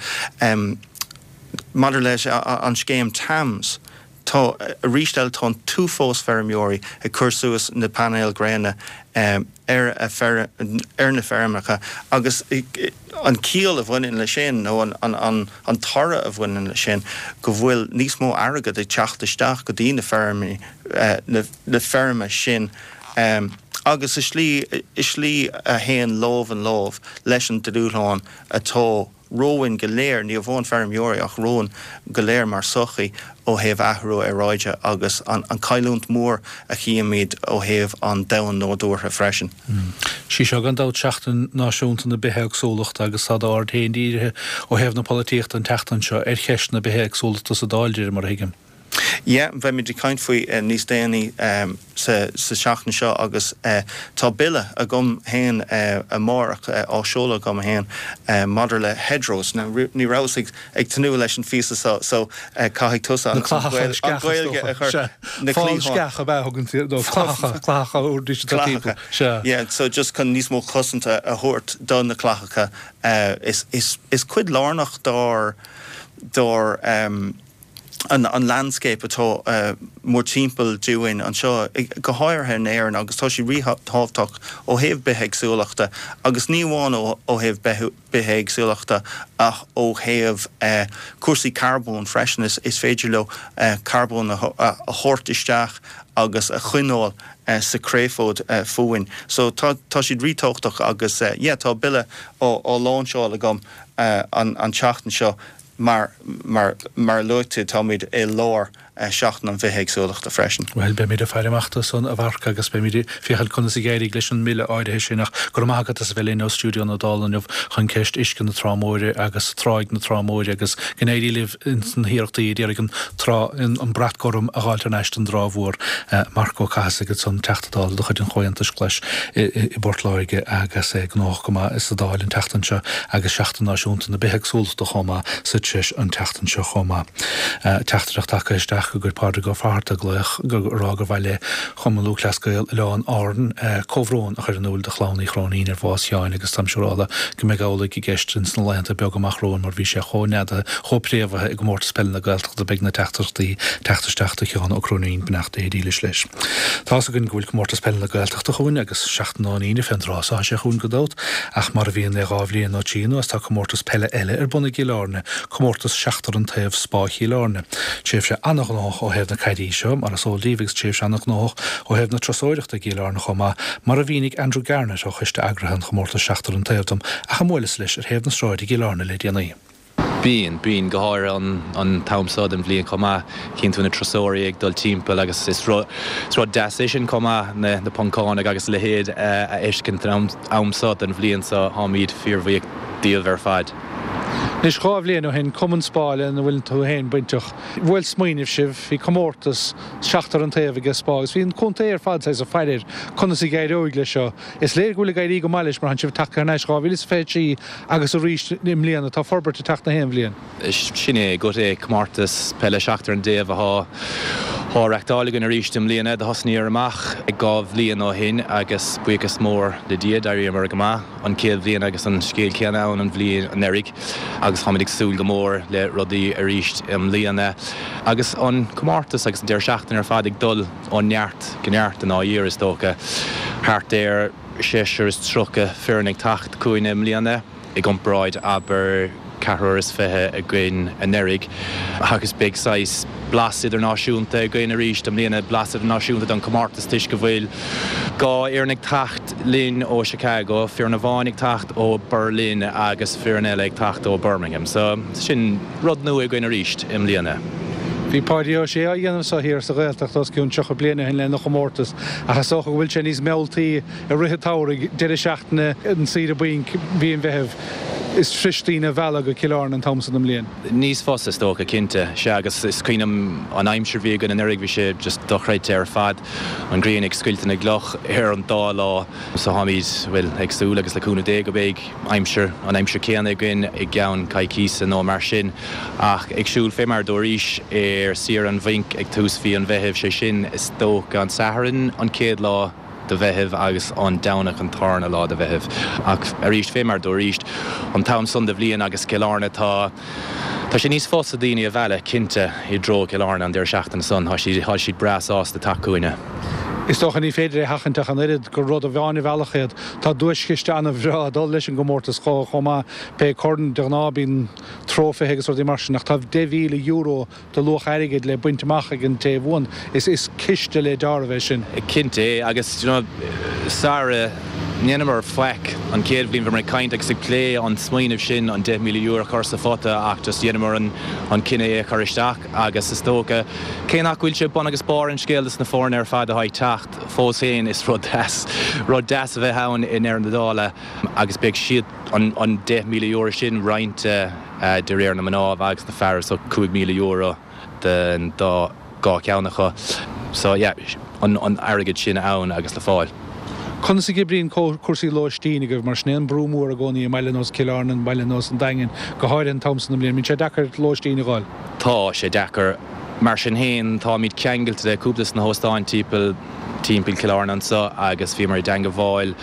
Maidir leis an scéim TAMS, tá, arís eile, tá an t-uafás feirmeoirí ag cur suas na painéil gréine ar a ar na feirmeacha agus an ciall a bhaineann leis sin nó an an an toradh a bhaineann leis sin go bhfuil níos mó airgead ag teacht isteach go dtí na feirmí na na feirme sin agus i slí i slí a théann lámh in lámh leis an dúshlán atá romhainn go léir, ní amháin feirmeoirí ach romhainn go léir mar sochaí ó thaobh athrú aeráide agus an chailliúint mhór a chímid ó thaobh an domhan nádúrtha freisin. Sí seo gan dabht Seachtain Náisiúnta na Bithéagsúlachta agus tá d'aird féin dírithe ó thaobh na polaitíochta an tseachtain seo ar cheist na bithéagsúlachta sa Dáil, de réir mar a thuigim. Yeah, beimid ag caint faoi níos déanaí sa seachtain seo agus tá bille agam féin amárach, á seoladh agam féin maidir le hedgerows. Now, ní rabhas ag tnúth leis an phíosa seo so caithfidh tusa an Ghaeilge a chur. Na cliatháin. Fál sceach ab ea a thugann tú, nó clathacha, clathacha uaireanta atá timpeall. Sea. Yeah, so just chun níos mó cosanta a thabhairt do na clathacha. Is cuid lárnach dár, dár, an landscape atá mórthimpeall dúinn anseo, go háirithe in Éirinn, agus tá sé ríthábhachtach ó thaobh bithéagsúlachta, agus ní amháin ó thaobh bithéagsúlachta ach ó thaobh cúrsaí carbóin freisin, is féidir leo carbón a thabhairt isteach agus a choinneáil sa créafóid fúinn. So tá siad ríthábhachtach agus yeah tá bille á láinseáil agam an tseachtain seo. Mar, mar, mar a luaigh tú, táimid i lár Seachtain an Bhithéagsúlachta freisin. Bhuel, beimid ag faire amach dó san, a Mharc, agus beimid ag féachaint conas a d'éirigh leis an mbille áirithe sin. Ach go raibh maith agat as a bheith linn ó stiúideo na Dála inniu chun ceist uisce na Trá Móire agus Tráigh na Trá Móire agus go n-éirí libh ins na hiarrachtaí a d'iarraidh an trá, an brat gorm a dh'fháilt thar n-ais don dTrá Mhór. Marc Ó Cathasaigh ansan, Teachta Dála de chuid an Chomhaontais Ghlais i bPort Láirge agus é gnóthach go maith sa Dáil an tseachtain seo agus Seachtain Náisiúnta na Bithéagsúlachta chomh maith sa treis an tseachtain seo chomh maith. Teachtaireacht tagtha isteach go gcuir Pádraig Ó Fátharta glaoch ag rá gur mhaith le Cumann Lúthchleas Gael Oileáin Árann comhbhrón a chur in iúl do chlann Uí Chróinín ar bhás Sheáin agus táim siúrála go mbeidh amhlaidh i gceist ins na laethanta beaga amach romhainn mar bhí sé chomh neadaithe, chomh préamhaithe i gcomórtas peile na Gaeltachta beidh na teachtaireachtaí teacht isteach do Sheán Ó Cróinín, beannacht Dé dhílis leis. Tá's againn go bhfuil Comórtas Peile na Gaeltachta chugainn agus seachtain ón Aoine fén dtráth so tá sé chugainn gan dabht ach mar a bhíonn le dhá bhliain nó trí anuas tá comórtas peile eile ar bun i gCill Airne, Comórtas Seachtar an Taobh Spá Chill Airne. Tréimhse ana-ghnóthach ó thaobh na caidí seo, mar is eol daoibh agus tréimhse ana-ghnóthach ó thaobh na turasóireachta i gCill Airne chomh maith, mar a mhínigh Andrew Garnett ó choiste eagraithe an chomórtais Seachtar an Taobh dom ach a mbuaileas leis ar thaobh na sráide i gCill Airne le déanaí. Bíonn, bíonn, go háirithe an t-am seo den bhliain chomh maith. Cíonn tú na turasóirí ag dul timpeall agus is rud, is rud deas é sin chomh maith, na, na Poncánaigh agus a leithéid a fheiscint an am seo den bhliain so táimid fíorbhuíoch díobh ar fad. Anois dhá bhliain ó shin, Cumann Spá lena bhfuil tú féin bainteach. Bhuail smaoineamh sibh, bhí comórtas seachtar an taobh aige Spá agus bhí an contae ar fad saghas ag faire air conas a d'éireoidh leis seo. Is léir go bhfuil ag éirí go maith leis mar tánn sibh tagtha thar n-ais dhá mhíle is fiche trí agus arís i mbliana. Tá forbairt ag teacht na haon bhliain. Sin é go é comórtas peile seachtar an dtaobh atá á reachtáil againn arís i mbliana. Do thosnaíomar amach dhá bhliain ó shin agus buíochas mór le Dia d'éiríomar go maith an chéad bhliain agus an scéal céanna ann an bhliain anuraidh agus táimid ag súil go mór le rudaí arís i mbliana. Agus an comórtas agus an deireadh seachtaine ar fad ag dul ó neart go neart i ndáiríre is dócha. Thart ar seisear is tríocha foireann ag teacht chugainn i mbliana i gcomparáid abair ceathrar is fiche againn anuraidh agus beidh saghas blas idirnáisiúnta againn arís i mbliana, blas idirnáisiúnta don chomórtas toisc go bhfuil dhá fhoireann ag teacht linn ó Chicago, foireann amháin ag teacht ó Berlin agus foireann eile ag teacht ó Birmingham. So sin rud nua againn arís i mbliana. Bhí Páidí Ó Sé á dhéanamh seo thiar sa Ghaeltacht os cionn tríocha bliain ó shin lena chomórtas ach is dócha go bhfuil sé níos mealltaí i rith an tsamhraidh, deireadh seachtaine, an saoire bainc, mhí an Mheithimh. Is fusa daoine a mhealladh go Cill Airne an t-am san den mbliain. Níos fusa is dócha, cinnte. Sea, agus is cuimhin liom an aimsir a bhí againn anuraidh, bhí sé just dochreidte ar fad, an ghrian ag scoilteadh na gcloch ar an dá lá. So táimid, bhuel, ag súil agus le cúnamh Dé go mbeidh aimsir, an aimsir céanna againn i gceann coicíse nó mar sin. Ach ag siúl fé mar dúraís ar saoire an bhainc ag tús mhí an Mheithimh, sé sin is dócha an Satharn an chéad lá de Mheitheamh agus an Domhnach an tarna lá de Mheitheamh. Ach arís fé mar dúraís, an t-am san de bhliain agus Cill Airne tá tá sé níos fusa daoine a mhealladh cinnte i dtreo Cill Airne an deireadh seachtaine san, tá siad tá siad breá sásta teacht chugainne. Is dócha ní féidir é a sheachaint ach an oiread gur rud amháin a mheallfadh iad. Tá duaischiste an-bhreá ag dul leis an gcomórtas chomh maith. Pé corn, de ghnáth bíonn trófaithe agus rudaí mar sin ach tá deich mhíle euro de luach airgid le baint amach ag an té a bhuann. Is is ciste le deáramh é sin. Cinnte, agus you know, sara ndeineamar faic an chéad bhliain bhíomar ag caint agus ag plé an smaoineamh sin an deich míle euro a chur sa phota ach just dheineamar an an cinneadh é a chur isteach agus is dócha cé nach bhfuil sé bun agus barr an scéil dos na foirne ar fad atá ag teacht fós féin is rud deas rud deas a bheith ann i ndeireadh na dála agus beidh siad an an deich míle euro sin roinnte de réir na mná agus na fear so cúig míle euro den dá dhá cheann acu so yeah an an airgead sin ann agus le fáil. Conas a oibríonn cúrsaí lóistín agaibh mar sin é an brú mór i gcónaí i mbaile nós Cill Airne, baile nós an Daingin, go háirithe an t-am san den mbliain. Bíonn sé deacair lóistín a fháil. Tá sé deacair. Mar sin féin, táimid ceangailte le cúpla de na hóstáin timpeall timpeall Cill Airne anseo agus bhíomar i dteangmháil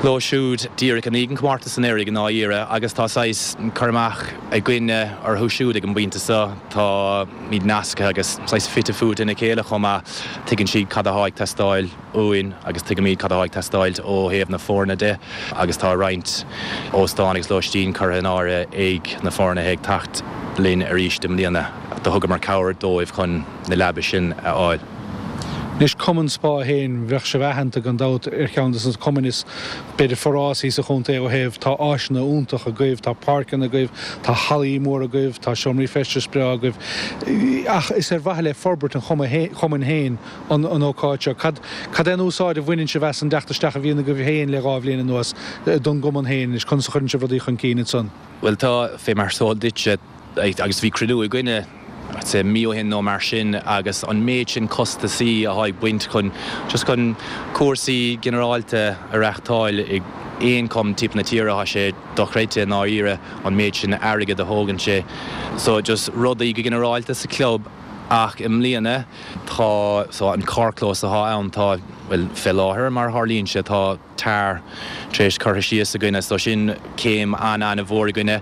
leo siúd díreach i ndiaidh an chomórtais anuraidh i ndáiríre agus tá saghas cur amach againne orthu siúd ag an bpointe seo. Táimid nasctha agus saghas fite fuaite ina chéile chomh maith. Tuigeann siad cad atá ag teastáil uainn agus tuigimid cad atá ag teastáil ó thaobh na foirne de agus tá roinnt óstán agus lóistín curtha in áirithe ag na foirne ag teacht linn arís i mbliana. Do thugamar cabhair dóibh chun na leaba sin a fháil. Anois Cumann Spá féin, bheadh sibh aitheanta gan dabht ar cheann de na cumainn is b'fhéidir forásaí sa chontae ó thaobh tá áiseanna iontacha agaibh, tá páirceanna agaibh, tá hallaí móra agaibh, tá seomraí feistis breá agaibh. Ach is ar mhaithe le forbairt an chumainn féin an an ócáid seo. Cad cad é an úsáid a bhaineann sibh as an dteacht isteach a bhíonn agaibh féin le dhá bhliain anuas don gcumann féin anois, conas a chuireann sibh rudaí chun cinn ansan? Bhuel tá, fé mar is eol duitse, agus bhí cruinniú againne I'd say mí ó shin nó mar sin agus an méid sin costasaí atá ag baint chun just chun cúrsaí ginearálta a reachtáil ag aon cumann timpeall na tíre tá sé dochreidte i ndáiríre an méid sin airgead a thógann sé. So just rudaí go ginearálta sa club ach i mbliana tá so an carrchlós atá ann tá bhuel fé láthair mar a tharlaíonn sé tá tar tar éis curtha síos againne so sin céim an-an-mhór againne.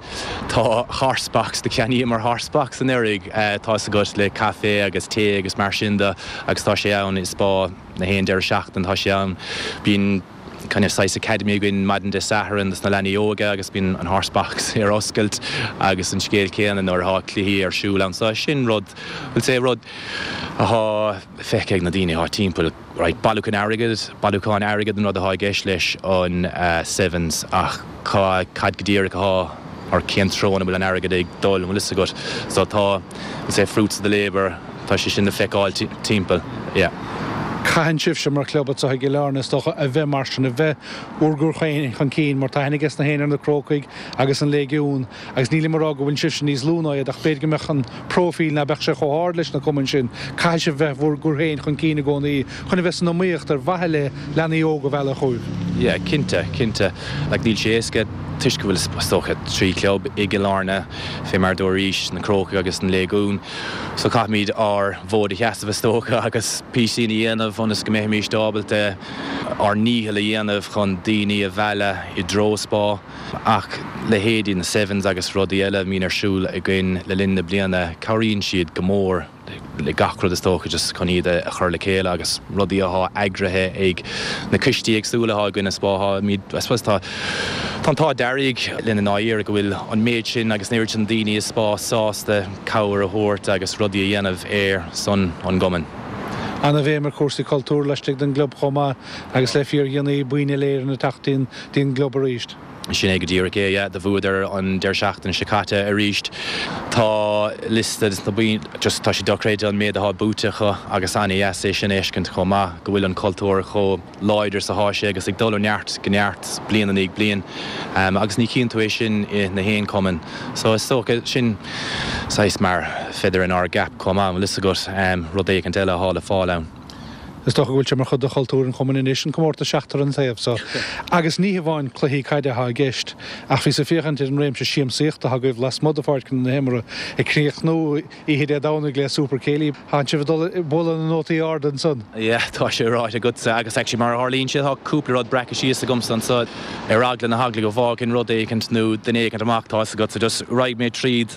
Tá horsebox do cheannaíomar horsebox anuraidh tá's agat le caife agus tae agus mar sin de agus tá sé ann i Spá na haon deireadh seachtaine tá sé ann. Bíonn kind of saghas academy againn maidin Dé Sathairn dos na leanaí óga agus bíonn an horsebox ar oscailt agus an scéal céanna nuair atá cluichí ar siúl ann so sin rud we'll say rud atá feicthe ag na daoine atá timpeall. Right, bailiúchán airgid, bailiúchán airgid an rud atá i gceist leis an Sevens ach cá, cad go díreach atá or cén treo ina bhfuil an airgead ag dul, an bhfuil fhios agat? So tá, we'll say fruits of the labour, tá sé sin le feiceáil timpeall, yeah. Caitheann sibhse mar chlub anseo i gCill Airne is dócha a bheith mar sin, a bheith bhur gcur féin chun cinn mar tá aithne ages na héinne ar na Crócaigh agus an Léigiún agus nílim ag rá go bhfuil sibhse níos lú ná iad ach b'fhéidir go mbeadh an próifíl ná beadh sé chomh hard leis na cumainn sin. Caithfidh sibh bheith bhur gcur féin chun cinn i gcónaí chun a bheith san iomaíocht ar mhaithe le leanaí óga a mhealladh chugaibh. Yeah, cinnte, cinnte. Like níl sé éasca toisc go bhfuil is dócha trí chlub i gCill Airne, fé mar dúraís, na Crócaigh agus an Léigiún. So caithfimid ár bhfód a sheasamh is dócha agus píosín a dhéanamh ionas go mbeimid ábalta ár ndícheall a dhéanamh chun daoine a mhealladh i dtreo Spá. Ach leithéidí na Sevens agus rudaí eile a mbíonn ar siúl againn le linn na bliana, cabhraíonn siad go mór le gach rud is dócha just chun iad a chur le chéile agus rudaí atá eagraithe ag na coistí éagsúla atá againn i Spá. Táimid, I suppose tá tá an t-ádh dearg linn i ndáiríre go bhfuil an méid sin agus an oiread sin daoine i Spá sásta cabhair a thabhairt agus rudaí a dhéanamh ar son an gcumainn. Ana-bhéim ar chúrsaí cultúir laistigh den gclub chomh maith agus le fíordhéanaí boinn Uile-Éireann ag teacht dtí'n gclub arís. Sin é go díreach é, yeah. Do bhuadar an deireadh seachtaine seo caite arís. Tá liosta de na boinn, just tá sé dochreidte an méid atá buaite acu agus ana-dheas é sin a fheiscint chomh maith, go bhfuil an cultúr chomh láidir is atá sé agus ag dul ó neart go neart bliain i ndiaidh bliain. Agus ní chíonn tú é sin i na haon cumann. So is dócha sin saghas mar feather in ár gcap chomh maith, an bhfuil fhios agat, rud éicint eile atá le fáil ann. Is dócha go bhfuil sé mar chuid de chultúr an chumainn anois, an comórtas seachtar an taobh so. Agus ní hamháin cluichí caide atá i gceist, ach bhíos ag féachaint ar an réimse siamsaíochta atá agaibh lasmuigh de pháirceanna na himeartha, ag críochnú oíche Dé Domhnaigh le Super Céilí. Tánn sibh ag dul ag bualadh na nótaí arda ansan. Yeah, tá sé ráite agatsa agus actually mar a tharlaíonn sé tá cúpla rud breactha síos agamsa anso ar eagla na heagla go bhfágfainn rud éicint nó duine éicint amach, tá fhios agat, so just raghaidh mé tríd.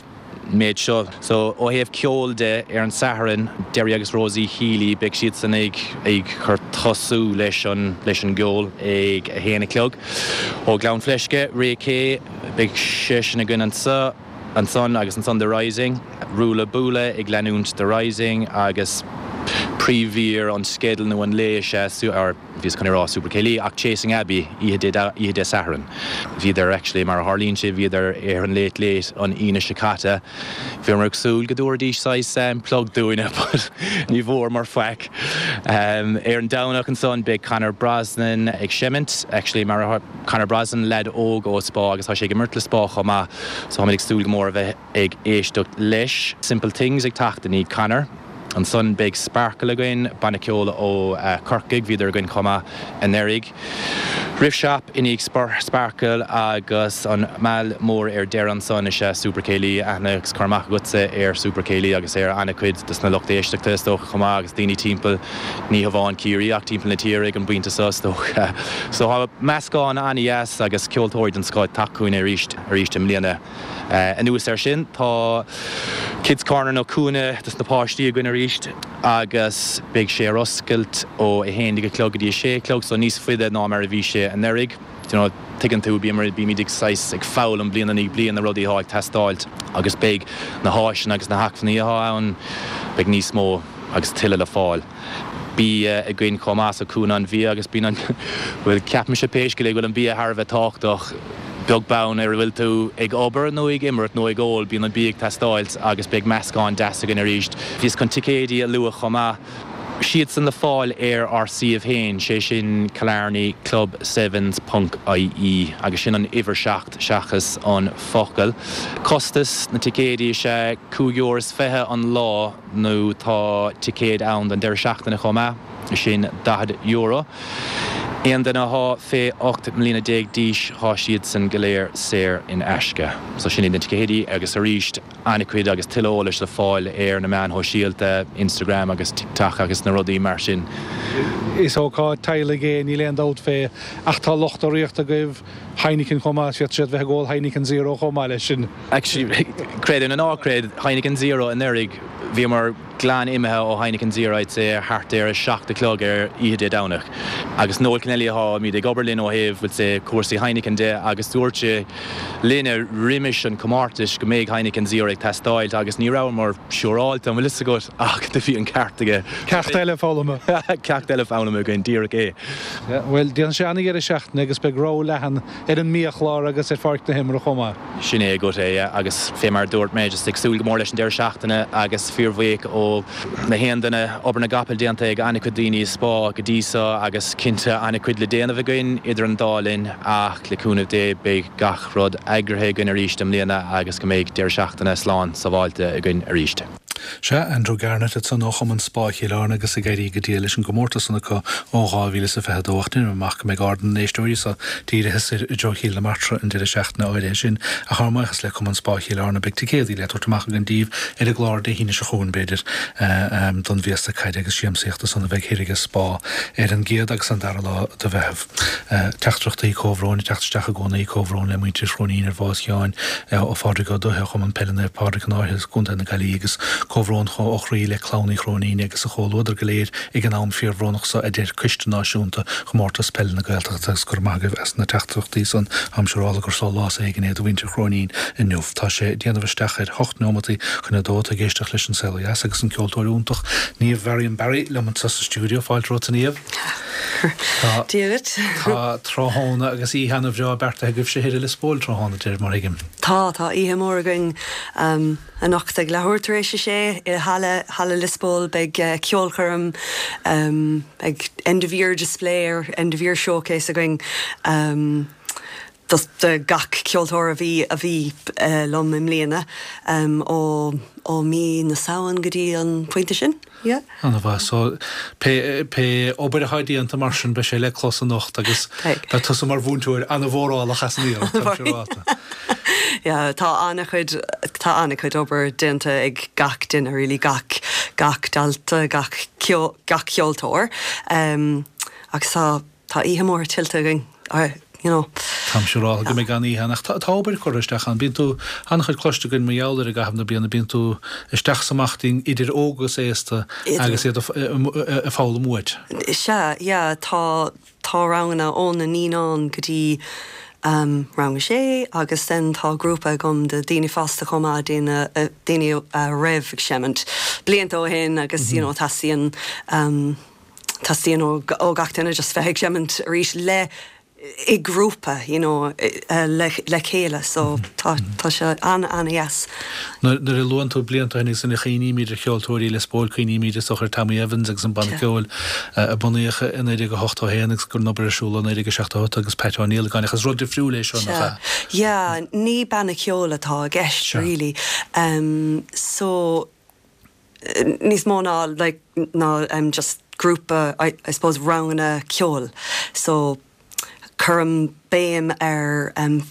méid seo. So, ó thaobh ceoil de, ar an Satharn, Derry agus Rosie Healy, beidh siadsan ag ag cur tosú leis an leis an gceol ag a haon a chlog. Ó Ghleann Fleisce, Ray Kay, beidh seisean againn anso ansan agus ansan The Rising, Rula Bula ag leanúint The Rising agus príomh-mhír an sceidil nó an lae is ea or bhíos chun a rá Super Céilí ach Chasing Abbey oíche Dé oíche Dé Sathairn. Bhíodar actually mar a tharlaíonn sé bhíodar ar an Late Late an Aoine seo caite. Bhíomar ag súil go dtabharfaidís saghas plug dúinne but ní bhfuaireamar faic. Ar an Domhnach ansan beidh Conor Brosnan ag seimint actually mar a Conor Brosnan leaid óg ó Spa agus tá sé ag imirt le Spa chomh maith so táimid ag súil go mór a bheith ag éisteacht leis. Simple Things ag teacht i ndiaidh Conor. Ansan beidh Sparkle againn, banna ceoil ó Chorcaigh, bhíodar againn chomh maith anuraidh. Riff Shop i ndiaidh Sparkle agus an meall mór ar deireadh ansan is ea Super Céilí, aithne agus cur amach agatsa ar Super Céilí agus ar an-chuid dos na lucht éisteachta is dócha chomh maith agus daoine timpeall, ní hamháin Ciarraí ach timpeall na tíre ag an bpointe seo is dócha. So tá meascán an-dheas agus ceoltóirí den scoth ag teacht chugainn arís arís i mbliana. Anuas air sin tá Kids Corner nó cúinne dos na páistí againn arís agus beidh sé ar oscailt ó a haon déag a chlog go dtí a sé a chlog, so níos faide ná mar a bhí sé anuraidh. You know, tuigeann tú, bíomar, bímid ag saghas ag foghlaim bliain i ndiaidh bliain na rudaí atá ag teastáilt agus beidh na háiseanna agus na hacmhainní atá ann, beidh níos mó agus tuilleadh le fáil. Bia againn chomh maith so cúinne an bhia agus bíonn an, bhuel ceapaimse pé scéal é go bhfuil an bia thar a bheith tábhachtach beag beann ar an bhfuil tú ag obair nó ag imirt nó ag ól, bíonn an bia ag teastáilt agus beidh meascán deas againn arís. Bhíos chun ticéidí a lua chomh maith. Siadsan le fáil ar ár suíomh féin, sé sin Killarney Club Sevens ponc ie agus sin an uimhir seacht seachas an focal. Costas na ticéidí is ea cúig euro is fiche an lá nó tá ticéid ann don deireadh seachtaine chomh maith, sin daichead euro. Aon duine athá fé ocht mbliana déag d'aois thá siadsan go léir saor in aisce. So sin iad na ticéidí agus arís an-chuid agus tuilleadh eolais le fáil ar na meáin shóisialta, Instagram agus TikTok agus na rudaí mar sin. Is ócáid teaghlaigh é, níl aon dabht fé, ach tá lucht urraíochta agaibh, Heineken chomh maith, is féidir siad bheith ag ól Heineken Zero chomh maith leis sin. Actually, creid é nó ná creid, Heineken Zero anuraidh, bhíomar glan imithe ó Heineken Zero, I'd say, thart ar a seacht a chlog ar oíche Dé Domhnaigh. Agus Noel Kennelly atáimid ag obair linn ó thaobh, we'll say, cúrsaí Heineken de agus dúirt sé linne roimis an comórtas go mbeidh Heineken Zero ag teastáilt agus ní rabhamar siúráilte, an bhfuil fhios agat, ach do bhí an ceart aige. Ceacht eile foghlamtha. Ceacht eile foghlamtha againn, díreach é. Bhuel, déanfaidh sé an-dheireadh seachtaine agus beidh rogha leathan ar an mbiachlár agus ar pháirc na himeartha chomh maith. Sin é agat é agus fé mar dúirt mé just ag súil go mór leis an deireadh seachtaine agus fíorbhuíoch ó na haon duine obair na gcapall déanta ag an-chuid daoine i Spá go dtí seo agus cinnte an-chuid le déanamh againn idir an dá linn ach le cúnamh Dé beidh gach rud eagraithe againn arís i mbliana agus go mbeidh deireadh seachtaine slán sábháilte againn arís. Sea, Andrew Garnett ansan ó Chumann Spá Chill Airne agus ag éirí go diail leis an gcomórtas san acu ó dhá mhíle is a fiche a dó ach déanaim amach go mbeidh aird na n-éisteoirí seo dírithe soir i dtreo Chill na Martra an deireadh seachtaine áirithe sin ach ár mbuíochas le Cumann Spá Chill Airne beidh ticéadaí le tabhairt amach againn daoibh ar an gclár Dé hAoine seo chugainn b'fhéidir don bhféasta caide agus siamsaíochta san a bheidh thoir ag Spá ar an gcéad agus an dara lá de Mheitheamh. Teachtaireachtaí comhbhróin ag teacht isteach i gcónaí, comhbhrón le muintir Chróinín ar bhás Sheáin ó Phádraig Ó Dubhthaigh ó Chumann Peile Naomh Pádraig an Fháirche, Contae na Gaillimhe agus comhbhrón ó chroí le clann Uí Chróinín agus a chomhluadar go léir ag an am fíorbhrónach seo a deir Coiste Náisiúnta Chomórtas Peile na Gaeltachta agus go raibh maith agaibh as na teachtaireachtaí san. Táim siúráilte gur sólás éigin é do mhuintir Chróinín inniu. Tá sé ag déanamh isteach ar hocht neomataí chun a dó. Tá ag éisteacht leis an Saol Ó Dheas agus an ceoltóir iontach Niamh Varian Barry liom anseo sa stiúideo. Fáilte romhat a Niamh. Tá Dia duit. Tá tráthnóna agus oíche an-bhreá beartaithe agaibhse thoir i Lios Póil tráthnóna, de réir mar a thuigim. Tá, tá oíche mhór againn anocht ag leathuair tar éis a sé i Halla, Halla Lios Póil. Beidh ceolchoirm, beidh end of year display or end of year showcase againn do do gach ceoltóir a bhí a bhí liom i mbliana ó ó mí na Samhain go dtí an pointe sin. Yeah. An-mhaith. So, pé pé obair atá déanta mar sin beidh sé le clos anocht agus beidh tusa mar mhúinteoir an-mhórálach as an iarracht, táim siúráilte. Yeah, tá an-chuid tá an-chuid obair déanta ag gach duine really, gach gach dalta, gach gach ceoltóir. Um, agus tá tá oíche mhór tuillte againn. You know. Táim siúráilte go mbeidh an-oíche ann ach tá tá obair curtha isteach ann. Bíonn tú an-chuid cloiste againn mar gheall air i gcaitheamh na bliana, bíonn tú isteach is amach dínn idir óg agus aosta agus iad ag foghlaim uait. Sea, yeah, tá tá ranganna ó na naíonáin go dtí um, rang a sé agus then tá grúpa agam de daoine fásta chomh maith, daoine daoine a raibh ag seimint blianta ó shin agus you know teastaíonn um, teastaíonn ó ó gach duine just bheith ag seimint arís le i grúpa you know le le chéile so tá tá sé an-an-dheas. Nuair a luann tú blianta ó shin agus nuair a chuimhnímid ar cheoltóirí Lios Póil cuimhnímid is dócha ar Tommy Evans agus an banna ceoil a bunaíodh i naoi déag a hochtó a haon agus go raibh an obair ar siúl ó naoi déag a seachtó a hocht agus Pat Ó Niallagáin ach is rud difriúil é seo nach ea? Yeah, ní banna ceoil atá i gceist really. Um, so níos mó ná like ná um, just grúpa I, I suppose ranganna ceoil. So cuirim béim ar um,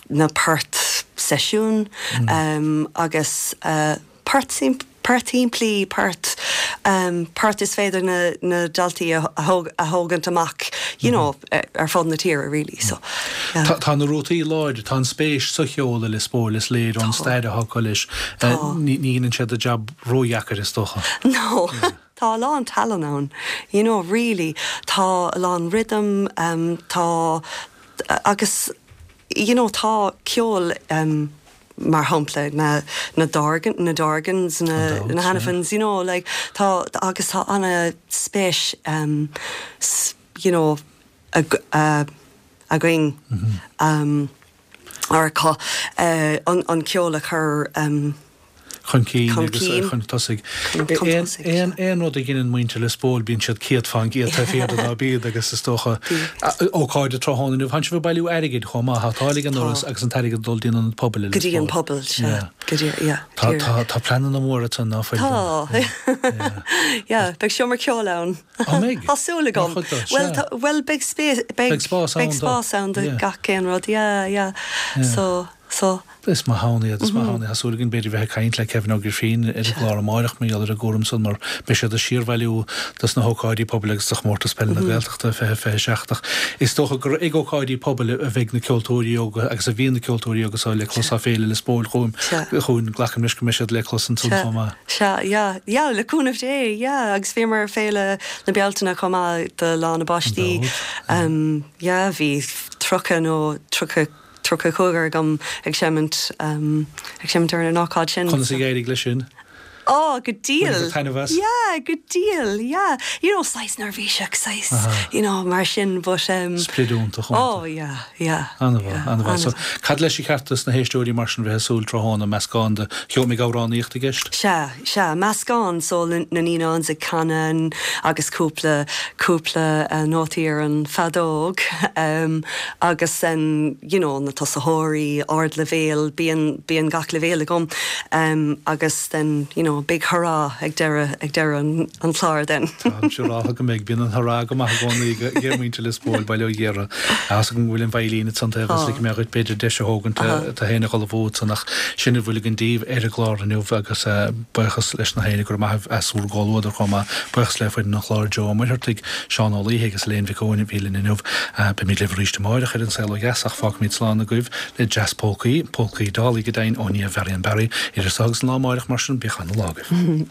na poirt seisiún mm. um, agus uh, poirt poirt shimplí poirt um, poirt is féidir na, na daltaí a, a, thóg, a thógaint amach you know, mm. ar fud na tíre really so yeah. Tá, tá na rútaí láidir, tá an spéis sa cheol i Lios Póil is léir ón stair atá acu leis ní dhéanann sé do jab ródheacair is dócha. No. Yeah. Tá a lán tallann ann, you know, really tá a lán rhythm um, tá agus you know, tá ceol um, mar shampla na na Dorgan na Dorgans na na Hanafins, you know, like tá agus tá an-spéis um, you know, ag, uh, againn mm -hmm. um, ar cá uh, an, an ceol a chur um, chun cinn agus chun tosaigh. Aon aon rud a dhéanann muintir Lios Póil bíonn siad céad fán gcéad taobh thiar de ná bíd agus is dócha ócáid tráthnóna inniu tánn sibh ag bailiú airgid chomh maith tá táille ag an ndoras agus an t-airgead ag dul dtí an ionad pobail i Go dtí an pobal sea. Go dtí yeah. Tá tá tá pleananna móra ann ná fuil? Tá. Yeah, beidh seomra ceoil ann. Á mbeidh? Tá súil agam. Bhuel tá bhuel beidh spéis beidh Beidh spás ann beidh spás ann do gach aon rud yeah yeah. So So. Is maith ann iad, is maith ann iad. Tá súil againn b'fhéidir bheith ag caint le Kevin Ó Grifín ar an gclár amáireach mar gheall ar an gcúram san mar beidh siad ag síorbhailiú dos na hócáidí pobail agus do Chomórtas Peile na Gaeltachta fiche fiche seacht ach is dócha gur ag ócáidí pobail a bheidh na ceoltóirí óga agus a bhíonn na ceoltóirí óga seo le clos tá Féile Lios Póil chughainn, chugainn. Glacaim leis go mbeidh siad le clos ansan chomh maith. Sea, yeah, yeah, le cúnamh Dé, yeah, agus bhíomar ar Féile na Bealtaine chomh maith do Lá na bPáistí. Yeah, bhí tríocha nó tríocha tríocha cúigear agam ag seimint ag seimint ar an ócáid sin. Conas a d'éirigh leis sin? Oh, go diail. Taitneamh as? Yeah, go diail, yeah. You know, saghas neirbhíseach, saghas, you know, mar sin, but um, Sprid iontach. Oh, yeah, yeah. An-mhaith, an-mhaith. So, cad leis ar cheart dos na héisteoirí mar sin bheith ag súil tráthnóna meascán de cheol an mbeidh amhránaíocht i gceist? Sea, sea, meascán so na naíonáin ag canadh agus cúpla cúpla uh, nótaí ar an feadóg um, agus um, you know, na tosaitheoirí ardleibhéal bíonn bíonn gach leibhéal agam um, agus then you know, big hurrah ag deireadh ag deireadh an, an chlár then. Tá sé rá go mbeidh bíonn an hurrah go maith i gcónaí ag muintir Lios Póil Baile Ó Ghiorra as go bhfuil an veidhlín san agus le mé b'fhéidir deis a thógaint tá héna go bhót sanach sinna bhfuil an díobh ar an gclár inniu agus buíochas leis na héine gur maith asúr gáluad chuma buíochas le foireann an chláir Joe Muirtheartaigh Seán Ó Laoithe agus Léon Mhic Eoin bhí linn inniu beimid libh arís amárach ar an Saol Ó Dheas ach fágfaimid slán agaibh le jazz polcaí, polcaí Dolly go deimhin ó Niamh Varian Barry idir seo agus an lá amárach mar sin bíodh an-lá agaibh.